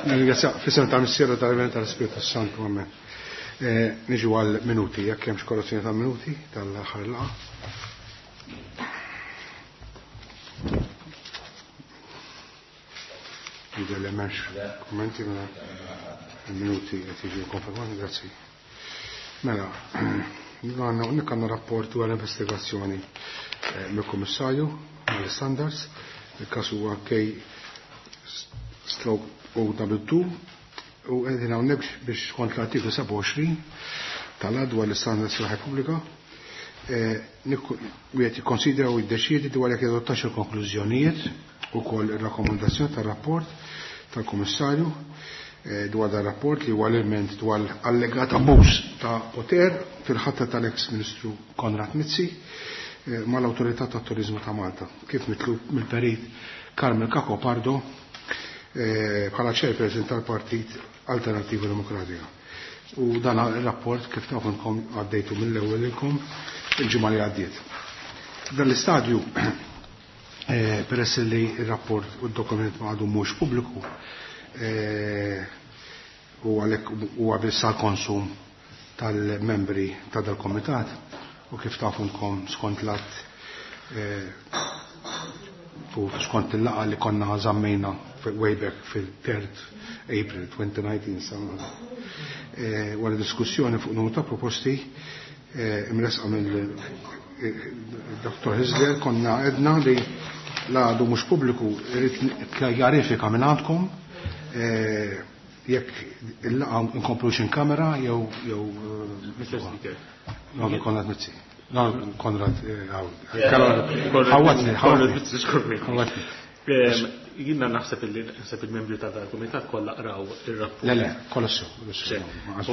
Nirringrazzja f'isem tal-Missier u tal-Iben tal-Ispirtu Santu, amen. Eh, niġu għal minuti, jekk hemmx korruzzjoni ta' minuti tal-aħħar laqgħa. Jidher li m'hemmx kummenti mela il-minuti qed jiġu konfermati, grazzi. Mela, għandna hawnhekk għandna rapport dwar investigazzjoni eh, mill-Kummissarju għall-Standards, il-każ huwa K stroke OW2 u qegħdin hawnhekk biex skont l-artiklu 27 tal-att dwar l-istandards fil-ħajja pubblika eh, wieħed jikkonsidra u jiddeċiedi dwar jekk jadottax il-konklużjonijiet ukoll ir-rakkomandazzjoni tar-rapport tal-Kummissarju eh, dwar dan rapport li huwa l-ilment dwar allegat abbuż ta' poter fil-ħatra tal-eks Ministru Konrad Mizzi eh, mal-Awtorità tat-Turiżmu ta' Malta, kif mitlub mill-Perit Carmel Cacopardo eh, bħala chairperson tal-Partit Alternattiva Demokratika. U dan il-rapport kif tafunkom għaddejtu mill-ewwel ilkom il-ġimgħa li għaddiet. Dan l-istadju eh, peress li il-rapport u d-dokument ma għadu mhux pubbliku eh, u għalhekk huwa biss għall-konsum tal-membri ta' dal-komitat u kif tafunkom skont l-att eh, u skont il-laqgħa li konna żammejna way back fil-3 April 2019 sa wara diskussjoni fuq numru ta' proposti imresqa mill Dr. Hizler konna edna li la għadu mhux pubbliku irid kjarifika minn għandkom jekk il-laqgħa nkomplux in kamera jew jew Mr. Speaker. No, Konrad Mizzi. No, Konrad ħawatni, ħawatni. Jiena naħseb li naħseb il-membri ta' dal-kumitat kollha qraw ir-rapport. Le, le, kollha sew.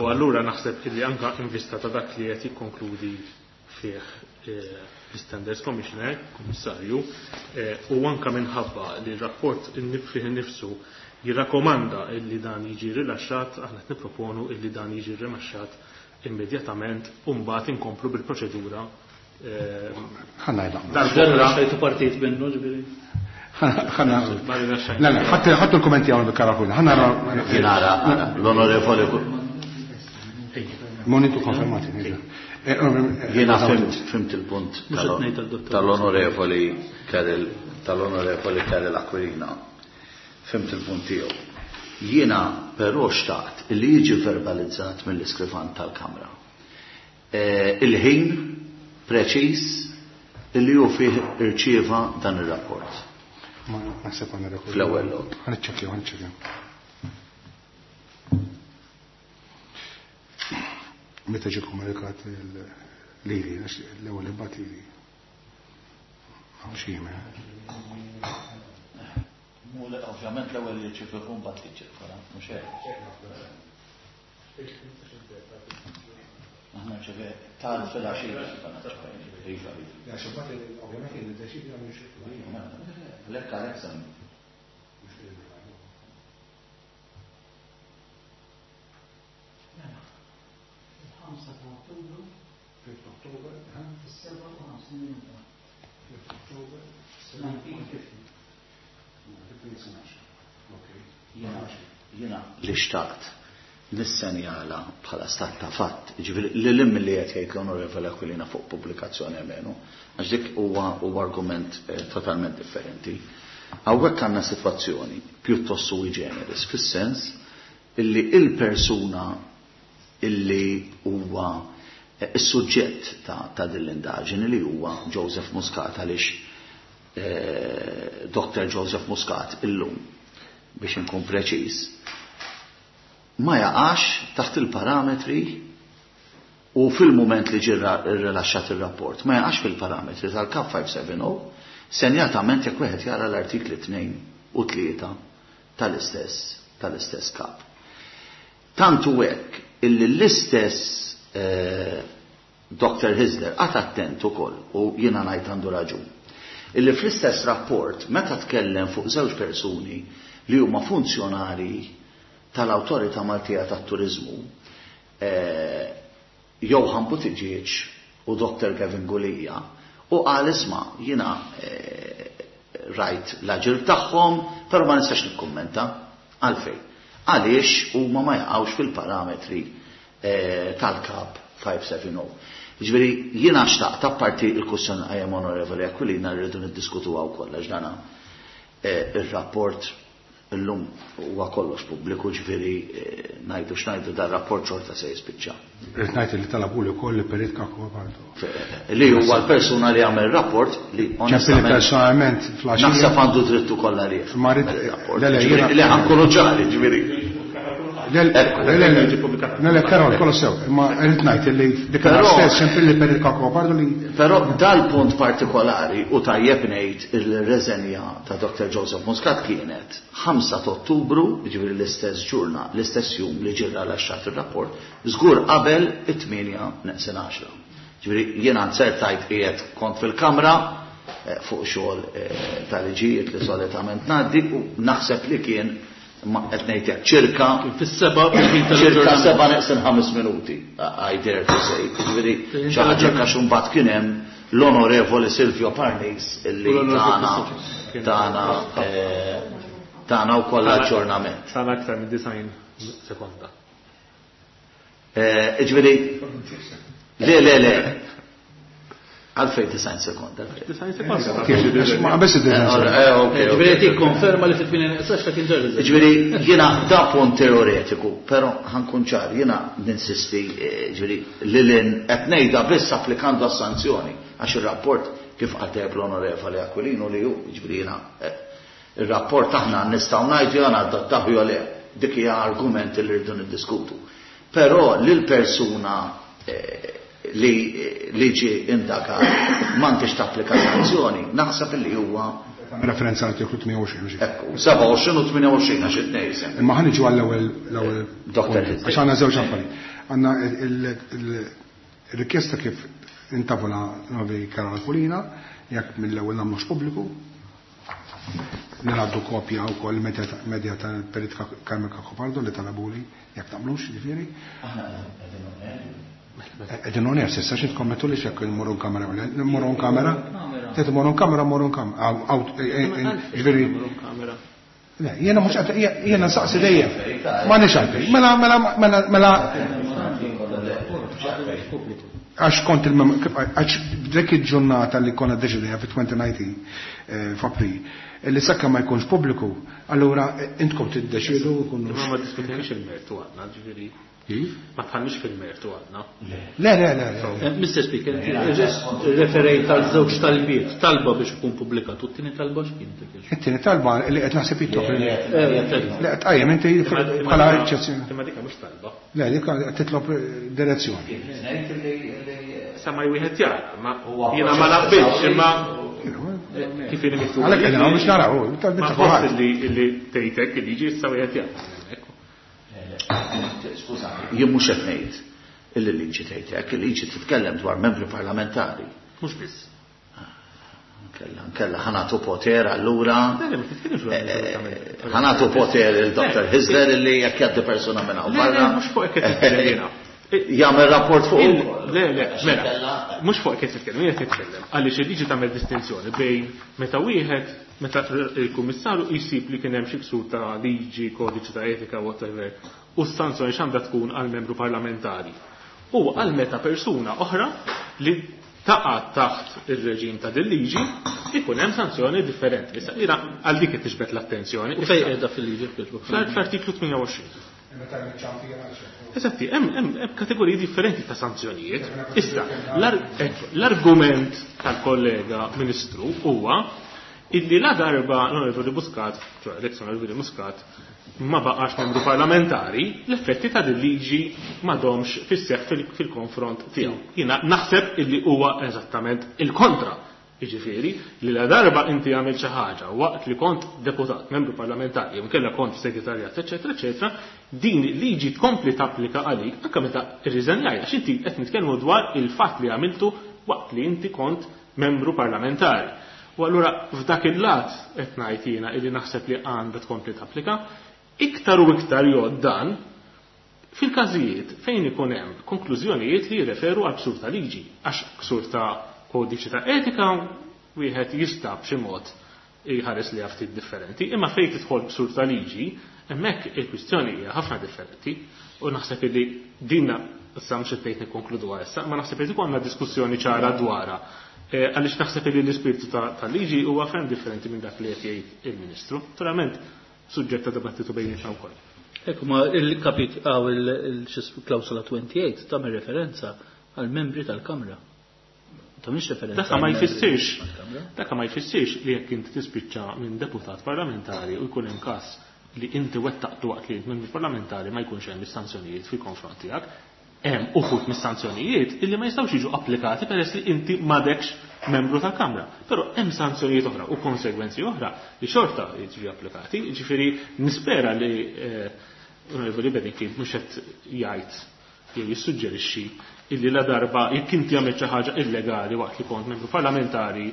U allura naħseb li anka in vista ta' dak li qed jikkonkludi fih l-Standards Commissioner, Kummissarju, u anka minħabba li r-rapport fih innifsu jirrakkomanda illi dan jiġi rilaxxat, aħna qed nipproponu illi dan jiġi rilaxxat immedjatament u mbagħad inkomplu bil-proċedura. Ħanna jlaqna. Dal-oħra xejtu partit minnu ġifieri. Ħanna. Le, le, ħattu l-kummenti hawn bil-karakun. Ħanna Jien ara, l-onorevoli Monitu konfermati. Jiena fhimt il-punt tal-onorevoli Karel tal-onorevoli Karel Aquilina. Fhimt il-punt tiegħu. Jiena però xtaqt li jiġi verbalizzat mill-iskrivan tal-Kamra. Il-ħin preċiż li hu fih irċieva dan ir-rapport. Ma naħseb għandna rekord. Fl-ewwel lok. Ħa niċċekkjaw, ħa niċċekkjaw. Meta ġie komunikat lili, l-ewwel imbagħad lili. Hawn xi email. Ovvjament l-ewwel li ċifru mbagħad li ċirkola, mhux hekk. Aħna ċive tal fil-għaxija iva. Għax imbagħad ovvjament jiddeċidi għal xi. Lekk għalhekk semmi. Il-5 ta' Ottubru. 5 October, Fis-57 minuta. 5 October, 1950. Jiena li xtaqt nissenjala bħala stat ta' fatt, ġifieri li l li qed jgħid l-Onorevole Aquilina fuq pubblikazzjoni menu, għax dik huwa argument totalment differenti. Hawnhekk għandna sitwazzjoni pjuttost sui generis, fis-sens illi il-persuna illi huwa is-suġġett ta' din l-indaġini li huwa Joseph Muscat, għaliex Dr. Joseph Muscat illum, biex inkun preċiż, ma jaqax taħt il-parametri u fil-moment li ġie rilaxxat il-rapport, ma jaqax fil-parametri tal-Kap 570, senjatament jekk wieħed jara l-artikli 2 u 3 tal-istess kap. Tantu hekk illi l-istess Dr. Hyzler qagħad attent ukoll, u jiena ngħid għandu raġun, illi fl-istess rapport meta tkellem fuq żewġ persuni li huma funzjonari tal-Awtorità Maltija tat-Turiżmu, Johann Buttigieg u Dr. Kevin Gulia u qal isma' jiena rajt l-aġir tagħhom, però ma nistax nikkummenta. Għalfejn? Għaliex huma ma jaqgħux fil-parametri tal-kap 570. Jiġifieri jiena xtaqt apparti l-kwistjoni li qajjem Onorevoli Aquilina li rridu niddiskutuha wkoll għax dana ir-rapport illum huwa kollox pubbliku ġifieri ngħidu x'ngħidu dar-rapport xorta se jispiċċa. Rrid ngħid li talabuli wkoll li Perit Cacopardo. Li huwa l-persuna li għamel rapport li onestament personalment fl-għaxija. Naħseb għandu dritt ukoll għalih. Ma rrid le le jiena Le ħa nkunu ċari ġifieri. Le le le le Karol kollox sew, imma rrid ngħid li dik stess ċempilli Perit Cacopardo li Però dal-punt partikolari u tajjeb ngħid il-reżenja ta' Dr. Joseph Muscat kienet 5 ta' Ottubru, jiġifieri l-istess ġurna, l-istess jum li ġie rilaxxat ir-rapport, żgur qabel it-8 neqsin 10. Ġifieri jiena nzertajt qiegħed kont fil-kamra fuq xogħol ta' liġijiet li solitament ngħaddi u naħseb li kien ma qed ngħid hekk ċirka fis-seba' fil-ħin ċirka tal-aġġornament. 7 neqsin 5 minuti, I dare to say. Ġifieri Fil-ħin xi ħaġa tal-aġġornament. għax imbagħad kien hemm l-Onorevoli Silvio Parnis illi U l-Onorevoli Christopher. tana wkoll aġġornament. Tana aktar minn 90 sekonda. Ġifieri, le, le, le. Għalfejn 90 sekonda. 90 sekonda. Ma qabess id-design sekonda. Ġifieri qed jikkonferma li fit-8 neqsin 10 kien ġar riżenja. Ġifieri, jiena da punt teoretiku, però ħankun ċar, jiena ninsisti, ġifieri, li l-in qed ngħidha biss applikando għas-sanzjoni, għax ir-rapport kif qal tajjeb l-Onorevoli Aquilino li hu, ġifieri jiena ir-rapport aħna nistgħu ngħidu jew nadottaw jew le, dik hija argument li rridu niddiskutu. Però lil persuna li ġie indagat m'għandix tapplika sanzjoni, naħseb li huwa Referenza għall-artiklu 28, mhux hekk? Ekku, 27 u 28 għax it-tnejn sem. Imma ħa niġu għall-ewwel l-ewwel Doktor punt. Hizzi. Għax għandna żewġ affarijiet. Għandna il-rikjesta kif intavola Novi Karol Aquilina, jekk mill-ewwel nagħmlux pubbliku, Nagħdu kopja wkoll medja tal-Perit Carmen Cacopardo li talabuli jekk tagħmlux, ġifieri. Aħna qegħdin on air. Qegħdin on air, s'issa xi tkommettu li x'jekk immorru kamera, immorru kamera. Tgħid immorru kamera, mmorru kamera. Aw, ġifieri. Le, jiena mhux qed jiena nsaqsi dejjem. Ma nix għalfejn. Mela, mela, mela, mela. Għax kont il-mem-, għax dik il-ġurnata li konna deċidejja fi 2019 f'April, li sakka ma jkunx pubbliku, allura intkom tiddeċidu u kunu Imma ma diskutejniex il-mertu għadna, ġifieri. Kif? Ma tħallniex fil-mertu għadna. Le, le, le, le. Mr. Speaker, referejt għal żewġ talbiet, talba biex ikun pubblikat, u t-tieni talba x'kien dik il-? It-tieni talba li qed naħseb jitlob li- Le, Le, tqajjem inti bħala eċċezzjoni. Imma dik mhux talba. Le, dik qed titlob direzzjoni. Sa ma wieħed jara, ma jiena ma naqbilx, imma kif inhi miktub. Għalhekk qegħdin hawn biex naraw, talbiet Ma ta' kulħadd. ħoss li tgħidek li jiġi issa wieħed jara. Skużani, jien mhux qed ngħid illi liġi tgħid hekk, il-liġi titkellem dwar membri parlamentari. Mhux biss. Kella, kella ħanatu poter allura. Le, le, ma titkellimx dwar membri parlamentari. Ħanatu poter il-Dr. Hyzler illi jekk jgħaddi persuna minn hawn Le, le, barra. mhux fuq hekk qed titkellem jiena. Jagħmel rapport fuq Le, le, mela, mhux fuq qed titkellem, jien qed titkellem. Għaliex il-liġi tagħmel distinzjoni bejn meta wieħed, meta il-kummissarju jsib li kien hemm xi ksur ta' liġi, kodiċi ta' etika, whatever, u s-sanzjoni x'għandha tkun għal membru parlamentari. U għal meta persuna oħra li taqa' taħt ir-reġim ta' din liġi, ikun hemm sanzjoni differenti. Issa jiena għal dik qed tiġbed l-attenzjoni. U fejn qiegħda fil-liġi fil-Facebook? Fl-artiklu 28. Eżatti, hemm kategoriji differenti ta' sanzjonijiet. Issa, l-argument tal-kollega ministru huwa illi la darba l-Onorevoli Muscat, ċoħe l-ex-Onorevoli Muscat, ma baqax membru parlamentari, l-effetti ta' din liġi m'għadhomx fis-seħħ fil-konfront tiegħu. Jiena naħseb illi huwa eżattament il-kontra. Jiġifieri li la darba inti għamilt xi ħaġa waqt li kont deputat, membru parlamentari, jew inkella kont segretarjat, eċetera, eċetera, din liġi tkompli tapplika għalik anke meta rriżenjajt, għax inti qed nitkellmu dwar il-fatt li għamiltu waqt li inti kont membru parlamentari. U allura f'dak il-lat qed ngħid jiena illi naħseb li għandha tkompli tapplika, iktar u iktar jgħod dan Fil-każijiet fejn ikun hemm konklużjonijiet li jirreferu għal ksur ta' liġi, għax ksur ta' kodiċi ta' etika wieħed jista' b'xi mod jħares li ftit differenti, imma fejn tidħol ksur ta' liġi, hemmhekk il-kwistjoni hija ħafna differenti u naħseb li dinna issa mhux qed ngħid nikkonkluduha issa, ma naħseb li għandna diskussjoni ċara dwarha. Għaliex naħseb li l-ispirtu tal-liġi huwa ferm differenti minn dak li qed jgħid il-Ministru. Naturalment, suġġett ta' dibattitu bejnietna wkoll. Ekku ma il-kapit għaw il-klawsola 28 tagħmel referenza għal membri tal-Kamra. Tagħmilx referenza. Dak ma jfissirx. Dak ma jfissirx li jekk inti tispiċċa minn deputat parlamentari u jkun hemm każ li inti wettaqtu waqt li membru parlamentari ma jkunx hemm is-sanzjonijiet fil-konfront tiegħek. Hemm uħud mis-sanzjonijiet illi ma jistgħux jiġu applikati peress li inti m'għadekx membru tal-Kamra. Però hemm sanzjonijiet oħra u konsegwenzi oħra li xorta jiġu applikati. Jiġifieri nispera li Onorevoli Bedingfield mhux qed jgħid jew jissuġġerixxi illi la darba jekk inti għamilt xi ħaġa illegali waqt li kont membru parlamentari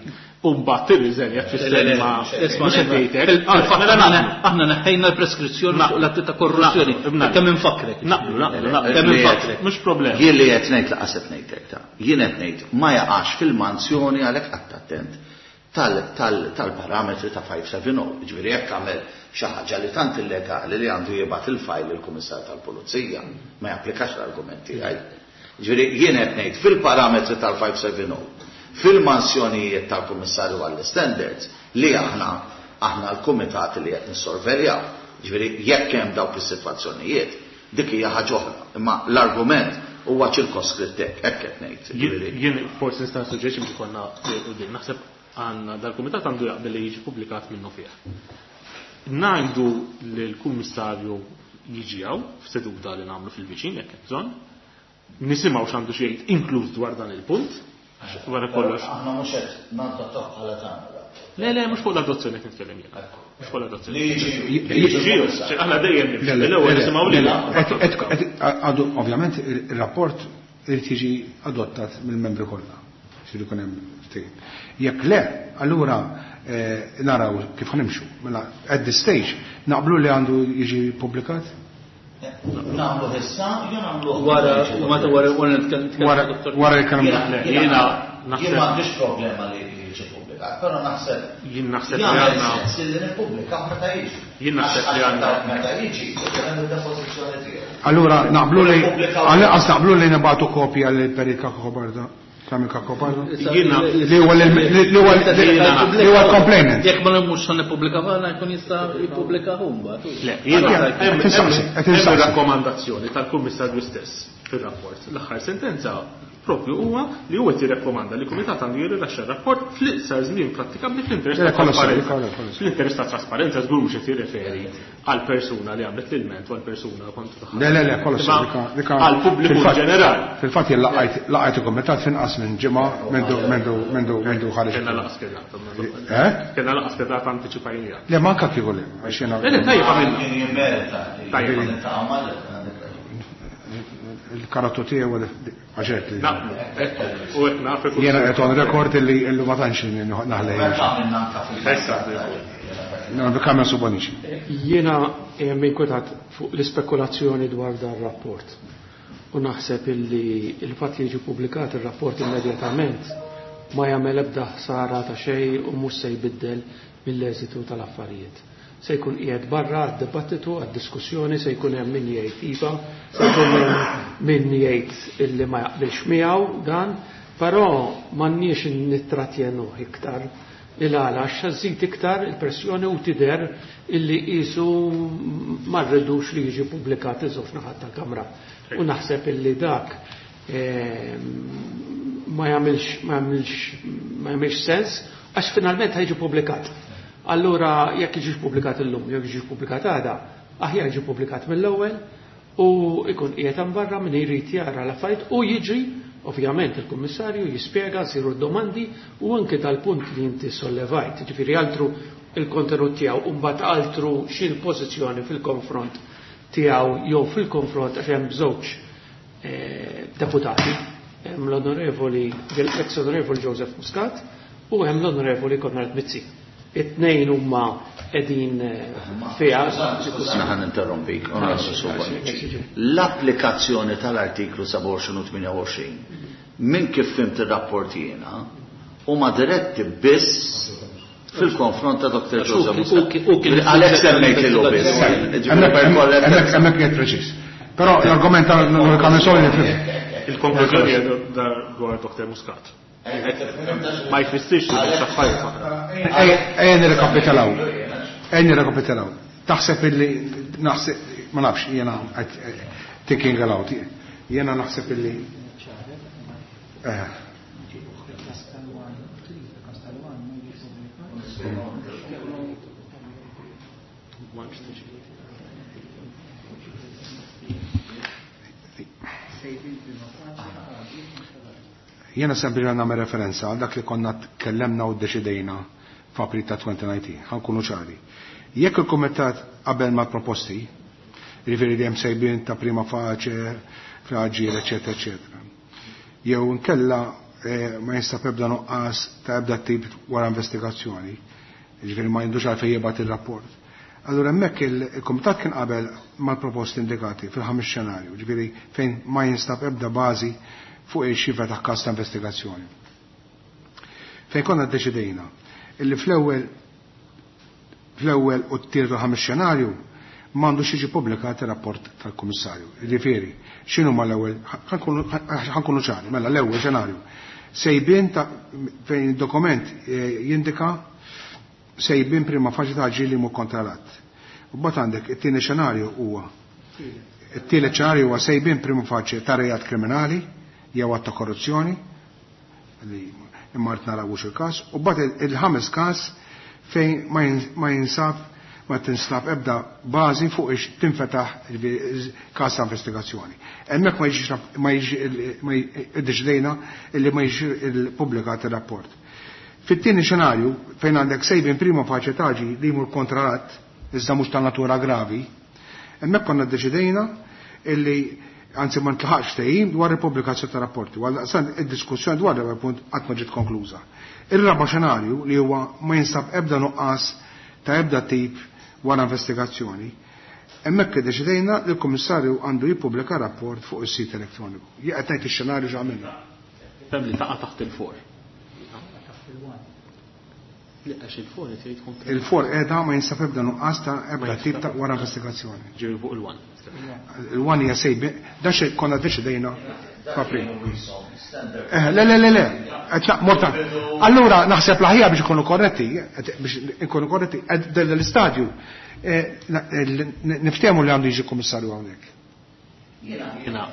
u mbagħad tirriżenja tfisser ma mhux qed jgħidlek. Aħna neħħejna l-preskrizzjoni fuq l-atti ta' korruzzjoni. Kemm infakrek. Naqblu, naqblu, naqblu. Kemm infakrek. Mhux problema. Jien li qed ngħid laqas qed ngħidlek ta'. Jien qed ngħid ma jaqax fil-manzjoni għalhekk qatt attent tal-parametri ta' 570. Ġifieri jekk għamel xi ħaġa li tant illegali li għandu jibgħat il-fajl lill-Kummissar tal-Pulizija, ma japplikax l-argument tiegħi. Ġifieri jien qed ngħid fil-parametri tal-570, fil-mansjonijiet tal-Kummissarju għall-Standards li aħna aħna l-kumitat li qed nissorveljaw. Ġifieri jekk hemm dawk is-sitwazzjonijiet, dik hija ħaġa oħra. Imma l-argument huwa ċirkoskritt hekk, hekk qed ngħid. Jien forsi nista' nissuġġerixxi biex ikollna quddiem. Naħseb għandna dal-kumitat għandu jaqbel li jiġi pubblikat minnu fih. Ngħidu li l-kummissarju jiġi hawn f'seduta li nagħmlu fil-viċin jekk hemm bżonn. Nisimgħu x'għandu xi jgħid inkluż dwar dan il-punt, għax wara kollox. Aħna mhux qed nadottaw bħala tagħna. Le, le, mhux fuq l-adozzjoni qed nitkellem jien. Mhux fuq l-adozzjoni. Li jiġi jiġi. Aħna dejjem nimxu. L-ewwel nisimgħu lilha. Għadu, ovvjament, il-rapport irid jiġi adottat mill-membri kollha. Xi jkun hemm ftehim. Jekk le, allura naraw kif ħanimxu. Mela, at this stage, naqblu li għandu jiġi publikat? Nagħmlu issa, jew nagħmlu wara, wara, wara, wara nitkellem Wara, wara li kellem Jiena Jien m'għandix problema li jiġi pubblikat, però naħseb Jien naħseb li jagħmel għandna sens li nippubblika meta jiġi. Jien naħseb li għandna meta jiġi, ikun hemm id-depożizzjoni tiegħu. Allura naqblu li għal-inqas naqblu li nibgħatu kopja lil Perit Cacopardo. Carmel Cacopardo? Jiena Li huwa li huwa li huwa l-complainant. Jekk ma mhux se nippubblika għala jkun jista' jippubblika hu mbagħad. Le, jiena Qed insaqsi, qed hemm insaqsi. rakkomandazzjoni tal-Kummissarju stess fir-rapport. L-aħħar sentenza propju huwa li huwa qed jirrakkomanda li l-Kumitat għandu jirrilaxxa r-rapport fl-iqsar żmien prattikabbli fl-interess Le, ta' kollox sew, trasparenza. kollox, kollox. Fl-interess ta' trasparenza żgur mhux qed jirreferi għal persuna li għamlet l-ilment u għal persuna kontra tagħha. Le, le, le, kollox sew, Għal pubbliku ġenerali. Fil-fatt jien laqajt il-kumitat finqas minn ġimgħa mendu ħareġ. Kellna laqas kedata. Eh? Kellna laqas kedata antiċipajnija. Le, manka kieku le, għax jiena Le, le, tajjeb għamilna. Kien jimmerita li Tajjeb. niltaqgħu mal- il-karattu tiegħu għaxet li. Naqblu, ekku, u qed naf ikun- Jiena qed on record illi illi ma tantx naħlej. Meta għamilna anka Issa. fil-passat. No, kamra suboniċi. Jiena inkwetat fuq l-ispekulazzjoni dwar dan rapport. U naħseb illi il-fatt li jiġi pubblikat ir-rapport immedjatament ma jagħmel ebda ħsara ta' xejn u mhux se jbiddel mill-eżitu tal-affarijiet. Se jkun qiegħed barra għad-dibattitu, għad-diskussjoni, se jkun hemm min jgħid iva, se jkun hemm min jgħid illi ma jaqbilx miegħu dan, però m'għandniex nittratjenuh iktar il-għala għax żid iktar il-pressjoni u tidher illi qisu ma rridux li jiġi pubblikat iż-żewġ naħat tal-Kamra. U naħseb illi dak ma jagħmilx ma jagħmilx ma jagħmilx sens għax finalment ħajġi pubblikat. Allura jekk jiġix pubblikat illum, jekk jiġix pubblikat għada, aħjar jiġi pubblikat mill-ewwel u ikun qiegħed hemm barra min irid jara l-affarijiet u jiġi ovvjament il-kummissarju jispjega, siru domandi u anke tal-punt li inti sollevajt, ġifieri altru il-kontenut tiegħu u mbagħad altru xi l-pożizzjoni fil-konfront tiegħu jew fil-konfront għax hemm żewġ deputati, hemm l-onorevoli l-ex onorevoli Joseph Muscat u hemm l-onorevoli Konrad Mizzi. It-tnejn huma qegħdin fiha. Skużani ħa ninterrompik, Onorevoli Sur Bonnici. L-applikazzjoni tal-artiklu 27 u 28, minn kif fhimt ir-rapport jiena, huma diretti biss fil-konfront ta' Dr. Joseph Muscat. Għalhekk semmejt lilu biss. Hemmhekk qiegħed preċiż. Però l-argument tal-Onorevoli Camenzuli nifhimha. Il-konklużjoni hija dwar Dr. Muscat. Ma jfissirx li m'hemmx affarijiet oħra. Ejja nirrekapitolaw. Ejja nirrekapitolaw. Taħseb illi naħseb ma nafx jiena thinking aloud. Jiena naħseb illi eh. Jiena sempliċement nagħmel referenza għal dak li konna tkellemna u ddeċidejna f'April ta' 2019, ħa nkunu ċari. Jekk il-Kumitat qabel mal-proposti, jiġifieri li hemm sejbien ta' prima facie, fl-aġir, eċetera, eċetera. Jew inkella ma jinstab ebda nuqqas ta' ebda tip wara investigazzjoni, jiġifieri ma jindux għalfejn jibgħat ir-rapport. Allura hemmhekk il-Kumitat kien qabel mal-proposti indikati fil-ħames xenarju, jiġifieri fejn ma jinstab ebda bażi fuq ix-xifra ta' każ ta' investigazzjoni. Fejn konna ddeċidejna illi fl-ewwel fl-ewwel u t-tielet u l-ħames xenarju m'għandux jiġi pubblikat ir-rapport tal-Kummissarju. Jiġifieri, x'inhu ma l-ewwel ħankunu ċari, mela l-ewwel xenarju. Sejbien ta' fejn id-dokument jindika sejbien prima faċi ta' ġili mu kontra l-att. U mbagħad għandek it-tieni xenarju huwa it-tielet xenarju huwa sejbien prima faċi ta' reat kriminali jew att ta' korruzzjoni li imma qed narawux il-każ, u mbagħad il-ħames każ fejn ma jinsab ma tinstab ebda bażi fuq ix tinfetaħ każ ta' investigazzjoni. Hemmhekk ma jiġix ma jiġix ma iddeċidejna illi ma jiġix il-pubblikat ir-rapport. Fit-tieni xenarju fejn għandek sejbin prima faċe taġi li jmur kontra l-att iżda mhux ta' natura gravi, hemmhekk konna ddeċidejna illi anzi ma ntlaħaqx ftehim dwar il-pubblikazzjoni ta' rapporti, għal daqstant id-diskussjoni dwar l-ewwel punt qatt ma ġiet konkluża. Ir-raba' xenarju li huwa ma jinsab ebda nuqqas ta' ebda tip wara investigazzjoni, hemmhekk iddeċidejna li l-Kummissarju għandu jippubblika rapport fuq is-sit elettroniku. Jien qed ngħid ix-xenarju x'għamilna. Fem li taqa' taħt il-for. Li għax il-for qed jgħid kontra. Il-for qiegħda ma jinsab ebda nuqqas ta' ebda tip ta' wara investigazzjoni. Ġej fuq il-one. Il-one hija sejbi, da xejn konna deċidejna f'April. Le, le, le, le, qed morta. Allura naħseb l-aħjar biex ikunu korretti, biex ikunu korretti, qed l-istadju niftehmu li għandu jiġi kummissarju hawnhekk. Jiena,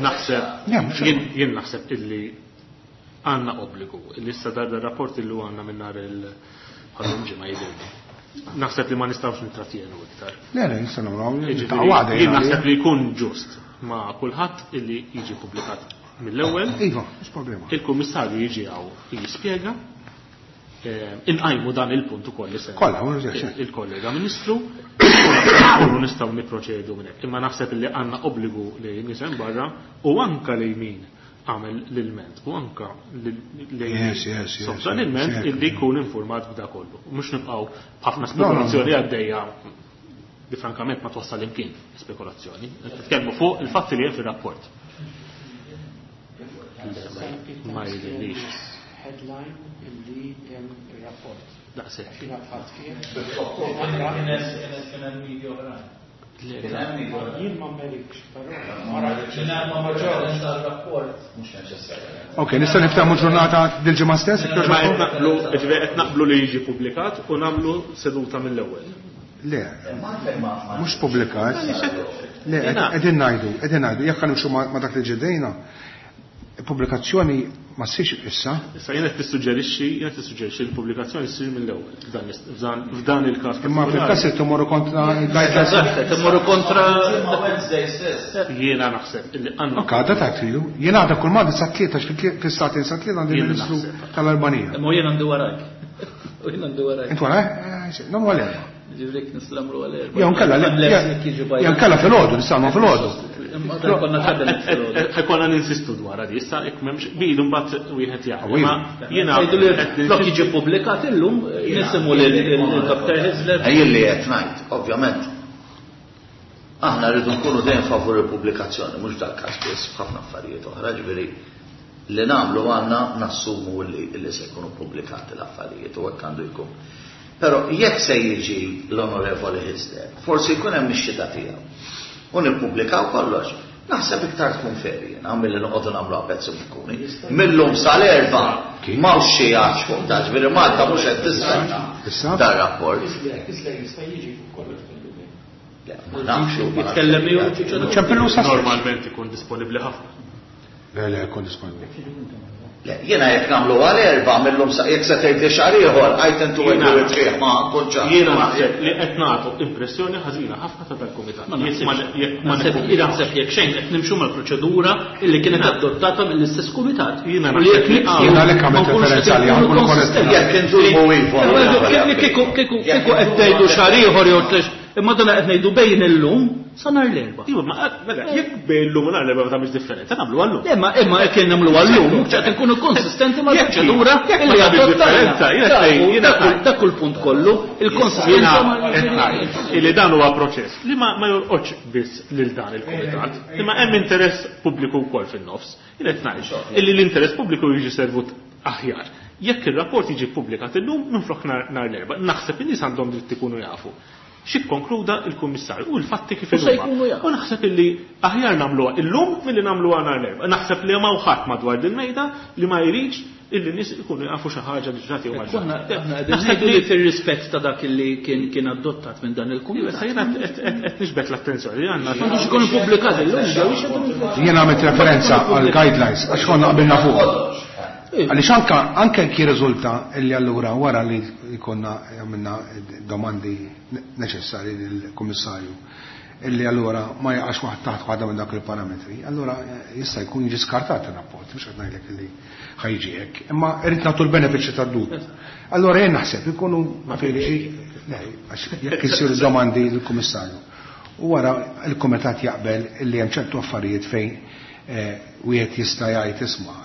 naħseb, jien naħseb illi għandna obbligu, illi issa dar rapport illi għandna minn nhar il-ħallum ġimgħa jidhirli. Naħseb li ma nistgħux nitratjenu iktar. Le, le, nistgħu nagħmlu Jien naħseb li jkun ġust ma' kulħadd illi jiġi pubblikat mill-ewwel. Iva, mhux problema. Il-kummissarju jiġi hawn jispjega. Inqajmu dan il-punt ukoll li semma. Kollha, mhux hekk. Il-kollega Ministru, u nistgħu nipproċedu minn hekk. Imma naħseb li għandna obbligu li nisem barra u anka lejn min għamel l-ilment u anka lejn sofra l-ilment illi jkun informat b'da kollu. Mhux nibqgħu b'ħafna spekulazzjoni għaddejja li frankament ma twassal imkien spekulazzjoni. Nitkellmu fuq il-fatti li hemm fir-rapport. Ma jidhirlix. Headline illi hemm ir-rapport. Daqshekk. Jiena tħadd fih. Jien ma merikx, però ma rajtx. Ok, nista' niftaħ ġurnata dil-ġimgħa stess, iktar Ma qed ġurnata? naqblu, ġifieri qed naqblu li jiġi pubblikat u nagħmlu seduta mill-ewwel. Le, mhux pubblikat. Le, qegħdin ngħidu, qegħdin ngħidu, jekk nimxu ma' dak li ġedejna, pubblikazzjoni ma ssirx issa. Issa jien qed tissuġġerixxi, jien qed tissuġġerixxi l-pubblikazzjoni ssir mill-ewwel f'dan il-każ. Imma fil-każ se tmorru kontra il-guidelines. Eżatt, tmorru kontra Wednesday stess. Jiena naħseb illi għandna. Ok, għadha ta' tridu. Jiena għadha kull ma sa tlieta fis-sagħtejn sa tlieta għandi ministru tal-Albanija. Imma jien għandi warajk. U jien għandi warajk. Int warajk? Nagħmlu għal erba'. Ġifieri nistgħu nagħmlu għal erba'. Jew nkella filgħodu, nistgħu filgħodu. Imma dan konna cabinet filgħodu. Ħa jkollna ninsistu dwar di, issa jekk m'hemmx qbil imbagħad wieħed jaqbel. Iva. Imma jiena Ngħidu li qed flok jiġi ppubblikat illum nisimgħu lil Dr. Hyzler. Jien li qed ngħid, ovvjament, aħna rridu nkunu dejjem favur il-pubblikazzjoni, mhux dal-każ biss, f'ħafna affarijiet oħra, ġifieri li nagħmlu għandna nassumu li se jkunu pubblikati l-affarijiet u hekk għandu jkun. Però jekk se jiġi l-Onorevoli Hyzler, forsi jkun hemm ix-xhieda tiegħu. U nippubblikaw kollox. Naħseb iktar tkun fair jiena milli noqogħdu nagħmlu pezzi bukkuni. Millum sal-erba' m'hawnx xi għax fuq dan, ġifieri Malta mhux qed tistenna Issa? dar rapport. Hyzler jista' jiġi fuq kollox fil-lum. Le, ma nafx u ma nafx. Jitkellem miegħu ċempillu sa Normalment ikun disponibbli ħafna. Le, le, jkun disponibbli. Le, jiena jekk nagħmlu għal erba' millum sa jekk se tgħid li xahar ieħor għajt intu Jiena- għedu it-triq ma kontx Jiena naħseb li qed nagħtu impressjoni ħażina ħafna ta' dal-kumitat. Ma Jekk ma jekk ma naħseb naħseb jekk xejn qed nimxu mal-proċedura illi kienet adottata mill-istess kumitat. Jiena U li jekk naħseb li- nibqgħu Jiena għalhekk għamilt ma nkunux qed referenza għaliha, inkunu nkunu konsistenti. korretti. Jekk inżumu iva. Kieku kieku kieku qed tgħidu xahar ieħor jew tlex, imma dan qed ngħidu bejn illum sa nhar l-erba'. Iva, ma mela, jekk bejn illum u nhar l-erba' ma tagħmilx differenza, nagħmlu għallum. Imma imma jekk nagħmlu għallum, ċert inkunu konsistenti Jekk- mal-proċedura jekk ma illi tagħmilx adottajna. differenza, jiena Dak- jiena Dak kull punt kollu, il-konsistenza Jiena mal- qed ngħid illi dan huwa proċess li ma ma jolqotx biss lil dan il-kumitat, imma hemm interess pubbliku wkoll fin-nofs. Jien qed ngħid illi l-interess pubbliku jiġi servut aħjar. Jekk ir-rapport jiġi ppubblikat illum minflok nhar nhar l-erba', naħseb in-nies għandhom dritt ikunu jafu. X'ikkonkluda il-kummissarju u l-fatti kif U se huma. jkunu jafu. U naħseb illi aħjar nagħmluha illum milli nagħmluha nhar l-erba'. Naħseb li ma ħadd madwar din mejda li ma jridx illi n-nies ikunu jafu xi ħaġa li ġrat jew ma Konna ġrat. aħna qegħdin Naħseb ngħidu li fir-rispett ta' dak li kien kien adottat minn dan Issa il-kumitat. jiena qed nixbet l-attenzjoni li għandna. M'għandux ikun ippubblikat illum, ġew ix Jiena għamilt referenza għal guidelines għax konna qabilna fuq. Għaliex anka anke jekk jirriżulta illi allura wara li jkollna għamilna domandi neċessarji lill-Kummissarju illi allura ma jaqax waħd taħt waħda minn dak il-parametri, allura jista' jkun jiġi skartat ir-rapport, mhux qed ngħidlek illi ħajġi hekk, imma irrid nagħtu l-benefiċċju tad-dubju. Allura jien naħseb ikunu le, għax jekk isiru domandi lill-Kummissarju. U wara il-Kumitat jaqbel illi hemm ċertu affarijiet fejn wieħed jista' jgħid isma'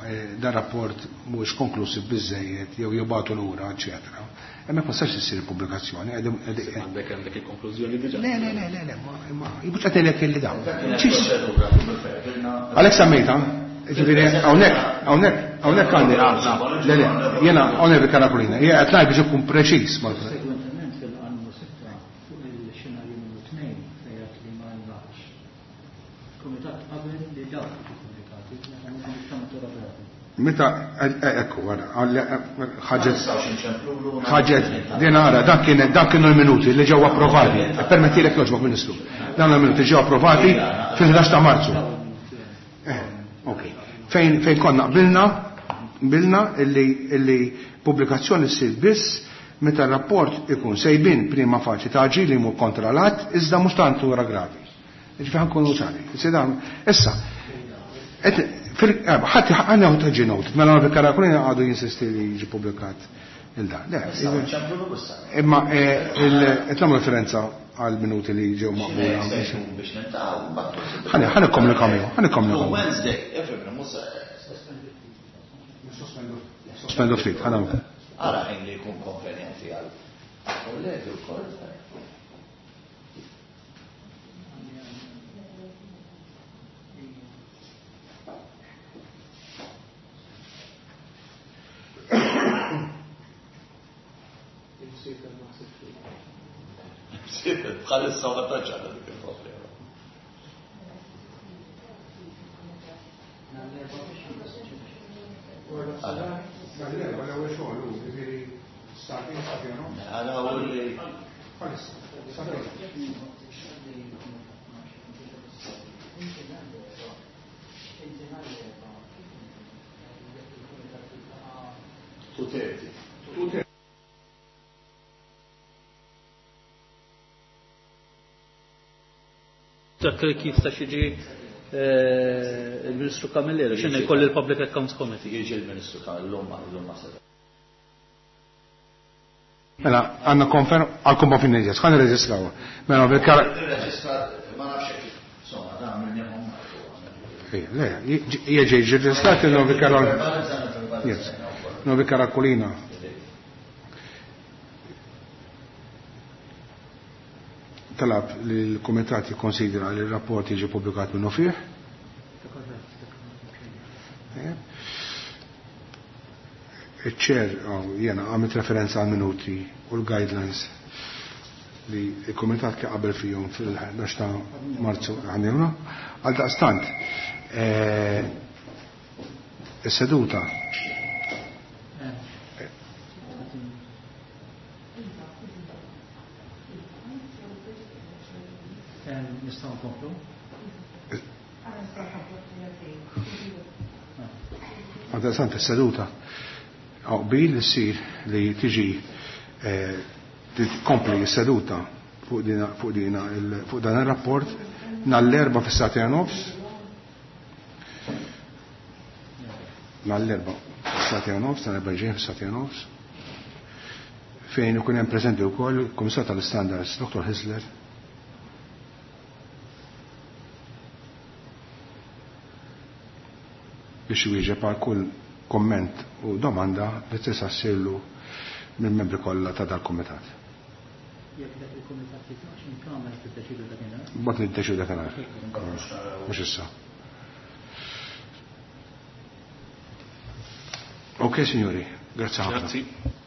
dan rapport mhuwiex konklusiv biżejjed jew jibgħatu lura, eċetera. Hemmhekk ma sax issir pubblikazzjoni. Għandek għandek il-konklużjoni diġà. Le, le, le, le, le, ma jibux qed ngħidlek illi dawn. Għalhekk semmejta, ġifieri hawnhekk, hawnhekk, hawnhekk għandi. Le, le, jiena hawnhekk bi Karakulina, jiena qed ngħid biex ikun preċiż mal Segwentement fil-qannu 6 fuq il-xenarju numru 2 fejn li ma nlaħx. Kumitat qabel li dawk jiġu pubblikati meta mhux ta' natura gravi. Meta, ekku, għara, ħaġet, ħaġet, din għara, dak kien, dak kienu l-minuti li ġew approvati, permettilek joġbok, Ministru, dan l-minuti ġew approvati fil-11 ta' Marzu. Ok. Fejn, fejn konna qbilna, qbilna illi, illi pubblikazzjoni ssir biss meta r-rapport ikun sejbin prima faċi ta' aġir li jmur kontra l-att, iżda mhux ta' natura gravi. Ġifieri ħa nkunu ċari. Issa, ħadd għandna ħadd ġi noted, mela Onorevoli Karakulina għadu jinsisti li jiġi pubblikat il-dan. Le, imma qed nagħmlu referenza għal minuti li ġew maqbula. Biex niltaqgħu mbagħad. Ħa ħa nikkomunika miegħu, ħa nikkomunika miegħu. Wednesday, ifhem, mhux Sospendu ftit, ħa nagħmlu. Ara ħin li jkun konvenjenti għal kollegi wkoll. Bħalissa ma tantx għandna dik il-problema. Għara u li 2:30. Dak li kif ta' xiġi il-Ministru Camilleri, x'inhu jkolli l-Public Accounts Committee. Jiġi l-Ministru Camilleri, l-lum ma seta. Mela, għandna konferm għal kumba fin-nies, ħa nirreġistraw. Mela, bil-kar Nirreġistra, ma nafx hekk, insomma, dan minni Le, jieġi ġeġislati Yes. Novi Karakolina. Talab li l-Kumitat jikkonsidra li r-rapport jiġi pubblikat minnu fih. Iċ-ċer jena għamilt referenza għal minuti u l-guidelines li il-Kumitat kien qabel fihom fil-11 ta' Marzu għandna. Għal daqstant, is-seduta Nistgħu nkomplu? Għal is-seduta qbil li ssir li tiġi tkompli s-seduta fuq dan ir-rapport nhar l-Erbgħa fis-sagħtejn u nofs. Nhar l-Erbgħa fis-sagħtejn u nofs, nhar l-Erbgħa ġej fis-sagħtejn u nofs. Fejn ikun hemm preżenti wkoll il-Kummissar tal-Istandards Dr. Hisler. Biex iwieġeb għal kull komment u domanda li tista' ssirlu mill-membri kollha ta' dal-kumitat. Jekk dak il-kumitat jitlaqx minn kamra tiddeċidu dakinhar. Bad niddeċidu dakinhar. Mhux issa. Ok, signori, grazie ħafna. Grazzi.